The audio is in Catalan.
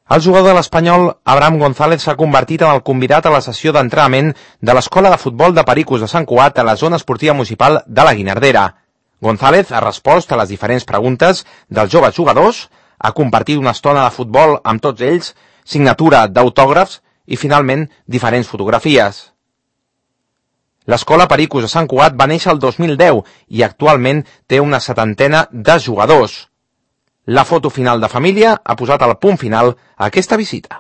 El jugador de l'Espanyol, Abraham González, s'ha convertit en el convidat a la sessió d'entrenament de l'Escola de Futbol de Pericos de Sant Cugat a la zona esportiva municipal de la Guinardera. González ha respost a les diferents preguntes dels joves jugadors, ha compartit una estona de futbol amb tots ells, signatura d'autògrafs i, finalment, diferents fotografies. L'Escola Pericos de Sant Cugat va néixer el 2010 i actualment té una 70ena de jugadors. La foto final de família ha posat el punt final a aquesta visita.